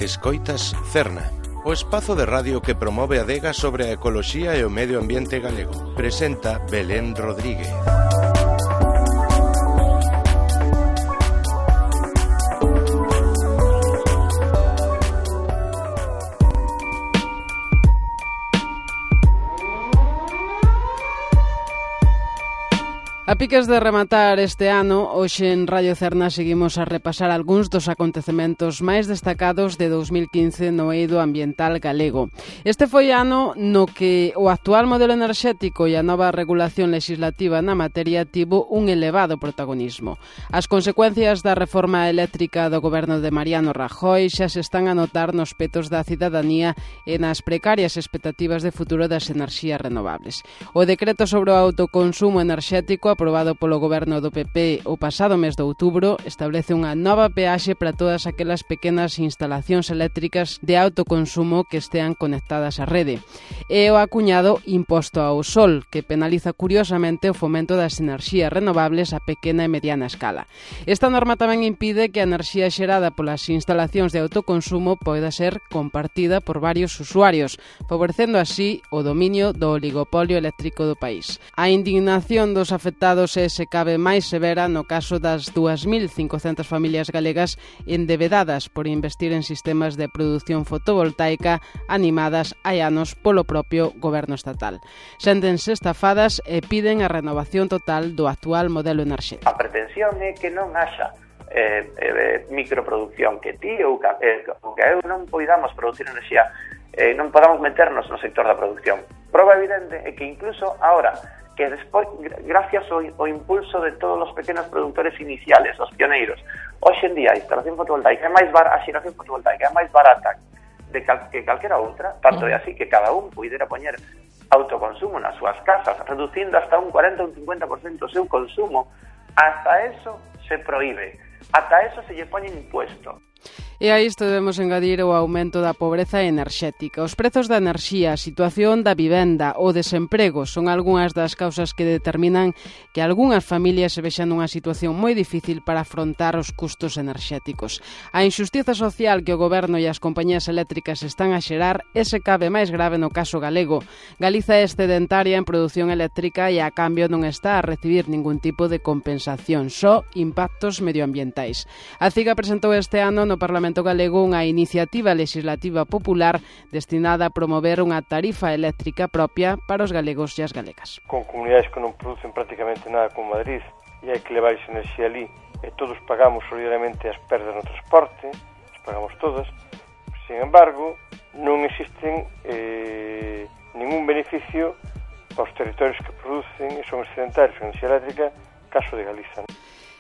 Escoitas Cerna, o espazo de radio que promove a adega sobre a ecoloxía e o medio ambiente galego. Presenta Belén Rodríguez. A piques de rematar este ano, hoxe en Radio Cerna seguimos a repasar algúns dos acontecementos máis destacados de 2015 no eido ambiental galego. Este foi ano no que o actual modelo enerxético e a nova regulación legislativa na materia tivo un elevado protagonismo. As consecuencias da reforma eléctrica do goberno de Mariano Rajoy xa se están a notar nos petos da cidadanía e nas precarias expectativas de futuro das enerxías renovables. O decreto sobre o autoconsumo enerxético aprobado polo goberno do PP o pasado mes de outubro establece unha nova peaxe para todas aquelas pequenas instalacións eléctricas de autoconsumo que estean conectadas á rede. E o acuñado imposto ao sol, que penaliza curiosamente o fomento das enerxías renovables a pequena e mediana escala. Esta norma tamén impide que a enerxía xerada polas instalacións de autoconsumo poida ser compartida por varios usuarios, favorecendo así o dominio do oligopolio eléctrico do país. A indignación dos afectados se cabe máis severa no caso das 2.500 familias galegas endebedadas por investir en sistemas de produción fotovoltaica animadas hai anos polo propio goberno estatal. Séntense estafadas e piden a renovación total do actual modelo enerxético. A pretensión é que non haxa microproducción, que ti ou que eu non poidamos producir enerxía, non podamos meternos no sector da producción. Prova evidente é que incluso ahora que despois, gracias ao impulso de todos os pequenos produtores iniciales, os pioneiros, hoxe en día a instalación fotovoltaica a xeración fotovoltaica é máis barata que calquera outra, tanto é así que cada un puidera poñer autoconsumo nas súas casas, reducindo hasta un 40 ou un 50% o seu consumo. Hasta eso se proíbe, ata eso se lle poñe impuesto. E a isto debemos engadir o aumento da pobreza enerxética. Os prezos da enerxía, a situación da vivenda, o desemprego son algunhas das causas que determinan que algunhas familias se vexan nunha situación moi difícil para afrontar os custos enerxéticos. A injustiza social que o goberno e as compañías eléctricas están a xerar é se cabe máis grave no caso galego. Galiza é excedentaria en produción eléctrica e a cambio non está a recibir ningún tipo de compensación, só impactos medioambientais. A CIGA presentou este ano no Parlamento Galego unha iniciativa legislativa popular destinada a promover unha tarifa eléctrica propia para os galegos e as galegas. Con comunidades que non producen prácticamente nada como Madrid e hai que levar esa enerxía ali e todos pagamos solidariamente as perdas no transporte, as pagamos todas. Sin embargo, non existen ningún beneficio para os territorios que producen e son excedentarios en enerxía eléctrica, caso de Galiza.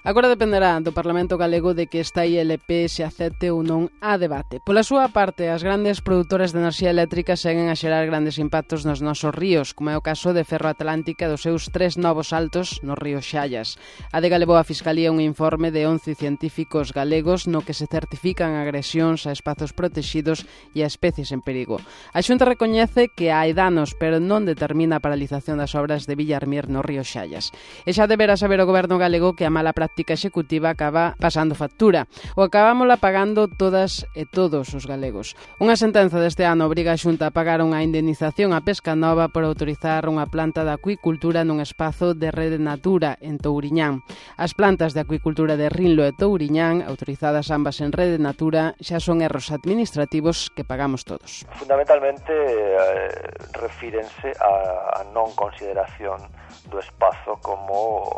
Agora dependerá do Parlamento Galego de que esta ILP se acepte ou non a debate. Pola súa parte, as grandes produtoras de enerxía eléctrica seguen a xerar grandes impactos nos nosos ríos, como é o caso de Ferroatlántica dos seus 3 novos saltos no río Xallas. A DEGA levou a Fiscalía un informe de 11 científicos galegos no que se certifican agresións a espazos protexidos e a especies en perigo. A Xunta recoñece que hai danos, pero non determina a paralización das obras de Villarmir no río Xallas. E xa deberá saber o goberno galego que a mala práctica executiva acaba pasando factura. O acabámola pagando todas e todos os galegos. Unha sentenza deste ano obriga a Xunta a pagar unha indemnización a Pesca Nova por autorizar unha planta de acuicultura nun espazo de Rede Natura en Touriñán. As plantas de acuicultura de Rinlo e Touriñán, autorizadas ambas en Rede Natura, xa son erros administrativos que pagamos todos. Fundamentalmente refírense a non consideración do espazo como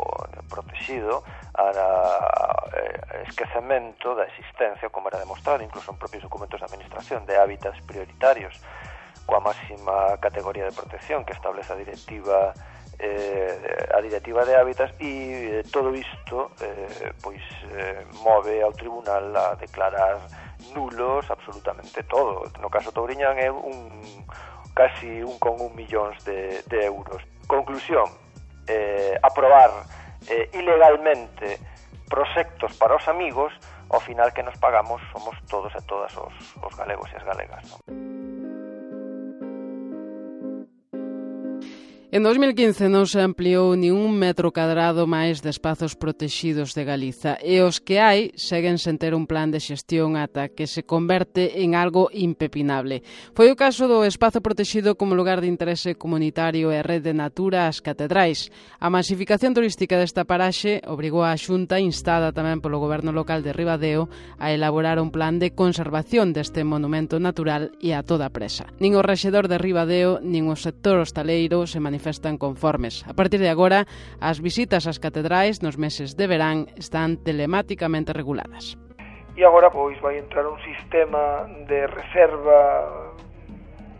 protegido, a esquecemento da existencia, como era demostrado incluso en propios documentos de administración, de hábitats prioritarios coa máxima categoría de protección que establece a directiva de hábitats, e todo isto move ao tribunal a declarar nulos absolutamente todo. No caso Touriñán é casi 1,1 millóns de euros. Conclusión, aprobar ilegalmente proxectos para os amigos, ao final que nos pagamos somos todos e todas os galegos e as galegas, non? En 2015 non se ampliou ni un metro cadrado máis de espazos protexidos de Galiza e os que hai seguen sen ter un plan de xestión ata que se converte en algo impepinable. Foi o caso do espazo protexido como lugar de interese comunitario e rede de natura as Catedrais. A masificación turística desta paraxe obrigou a Xunta, instada tamén polo goberno local de Ribadeo, a elaborar un plan de conservación deste monumento natural e a toda presa. Nin o rexedor de Ribadeo nin o sector hostaleiro se manifestan conformes. A partir de agora, as visitas ás catedrais nos meses de verán están telemáticamente reguladas. E agora pois vai entrar un sistema de reserva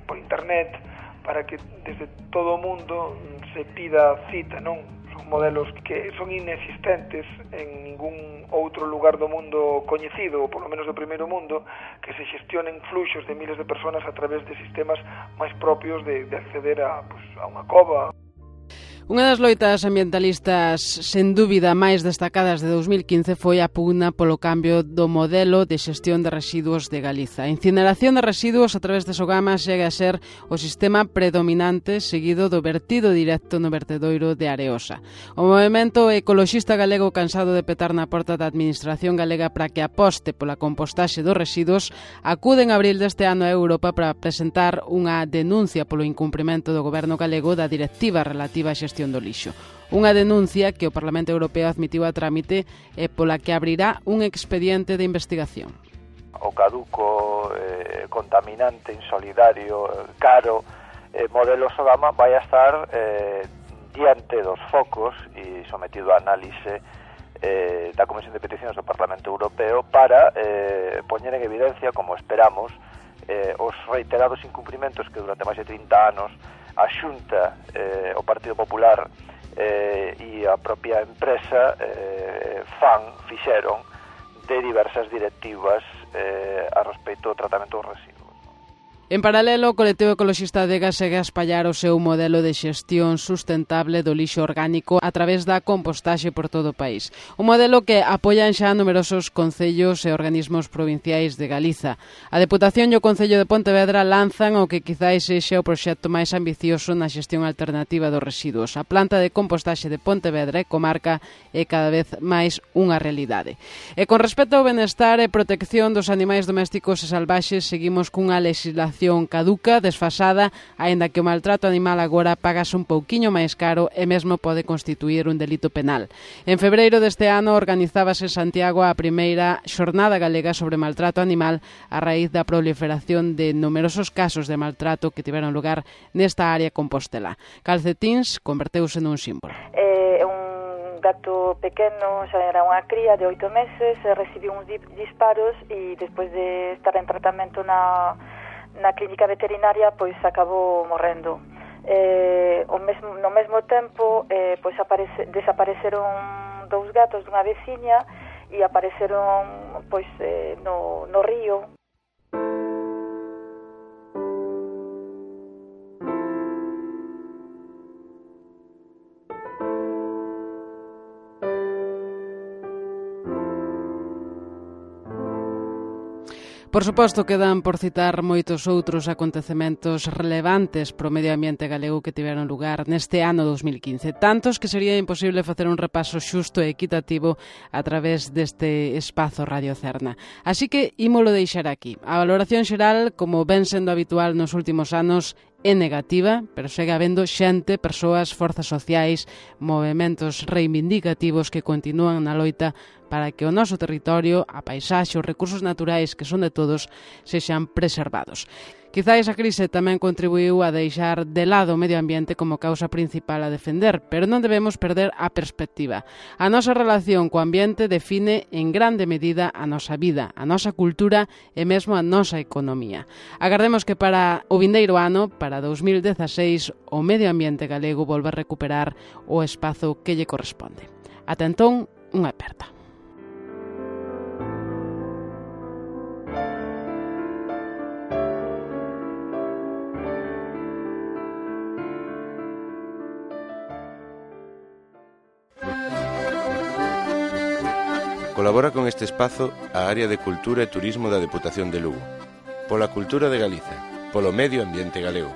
por internet para que desde todo o mundo se pida cita, non? Son modelos que son inexistentes en ningún outro lugar do mundo coñecido, ou polo menos do primeiro mundo, que se xestionen fluxos de miles de personas a través de sistemas máis propios de acceder a unha cova. Unha das loitas ambientalistas sen dúbida máis destacadas de 2015 foi a pugna polo cambio do modelo de xestión de residuos de Galiza. A incineración de residuos a través de Sogama chega a ser o sistema predominante seguido do vertido directo no vertedoiro de Areosa. O movemento ecoloxista galego, cansado de petar na porta da Administración galega para que aposte pola compostaxe dos residuos, acude en abril deste ano a Europa para presentar unha denuncia polo incumprimento do goberno galego da directiva relativa á xestión do lixo. Unha denuncia que o Parlamento Europeo admitiu a trámite e pola que abrirá un expediente de investigación. O caduco, contaminante, insolidario, caro modelo Sogama vai a estar diante dos focos e sometido a análise da Comisión de Peticións do Parlamento Europeo para poñer en evidencia, como esperamos, os reiterados incumprimentos que durante máis de 30 anos a Xunta, o Partido Popular e a propia empresa fixeron de diversas directivas a respecto do tratamento dos residuos. En paralelo, o colectivo ecoloxista Adega segue a espallar o seu modelo de xestión sustentable do lixo orgánico a través da compostaxe por todo o país. Un modelo que apoian xa numerosos concellos e organismos provinciais de Galiza. A Deputación e o Concello de Pontevedra lanzan o que quizáis sexa o proxecto máis ambicioso na xestión alternativa dos residuos. A planta de compostaxe de Pontevedra e comarca é cada vez máis unha realidade. E con respecto ao benestar e protección dos animais domésticos e salvaxes, seguimos cunha legislación caduca, desfasada, aínda que o maltrato animal agora pagase un pouquiño máis caro e mesmo pode constituir un delito penal. En febreiro deste ano organizábase en Santiago a primeira xornada galega sobre maltrato animal a raíz da proliferación de numerosos casos de maltrato que tiveron lugar nesta área compostelá. Calcetíns converteuse nun símbolo. Un gato pequeno, xa era unha cría de 8 meses, recibiu uns disparos e despois de estar en tratamento na clínica veterinaria, pois acabou morrendo. No mesmo tempo, pois desapareceron 2 gatos dunha veciña e apareceron pois no río. Por suposto, quedan por citar moitos outros acontecementos relevantes pro medio ambiente galego que tiveron lugar neste ano 2015. Tantos que sería imposible facer un repaso xusto e equitativo a través deste espazo Radio Cerna. Así que ímolo deixar aquí. A valoración xeral, como ven sendo habitual nos últimos anos, é negativa, pero segue habendo xente, persoas, forzas sociais, movementos reivindicativos que continúan na loita para que o noso territorio, a paisaxe, os recursos naturais que son de todos, sexan preservados. Quizais a crise tamén contribuiu a deixar de lado o medio ambiente como causa principal a defender, pero non debemos perder a perspectiva. A nosa relación co ambiente define en grande medida a nosa vida, a nosa cultura e mesmo a nosa economía. Agardemos que para o vindeiro ano, para 2016, o medio ambiente galego volva a recuperar o espazo que lle corresponde. Ata entón, unha aperta. Colabora con este espazo a Área de Cultura e Turismo da Deputación de Lugo. Pola cultura de Galiza, polo medio ambiente galego.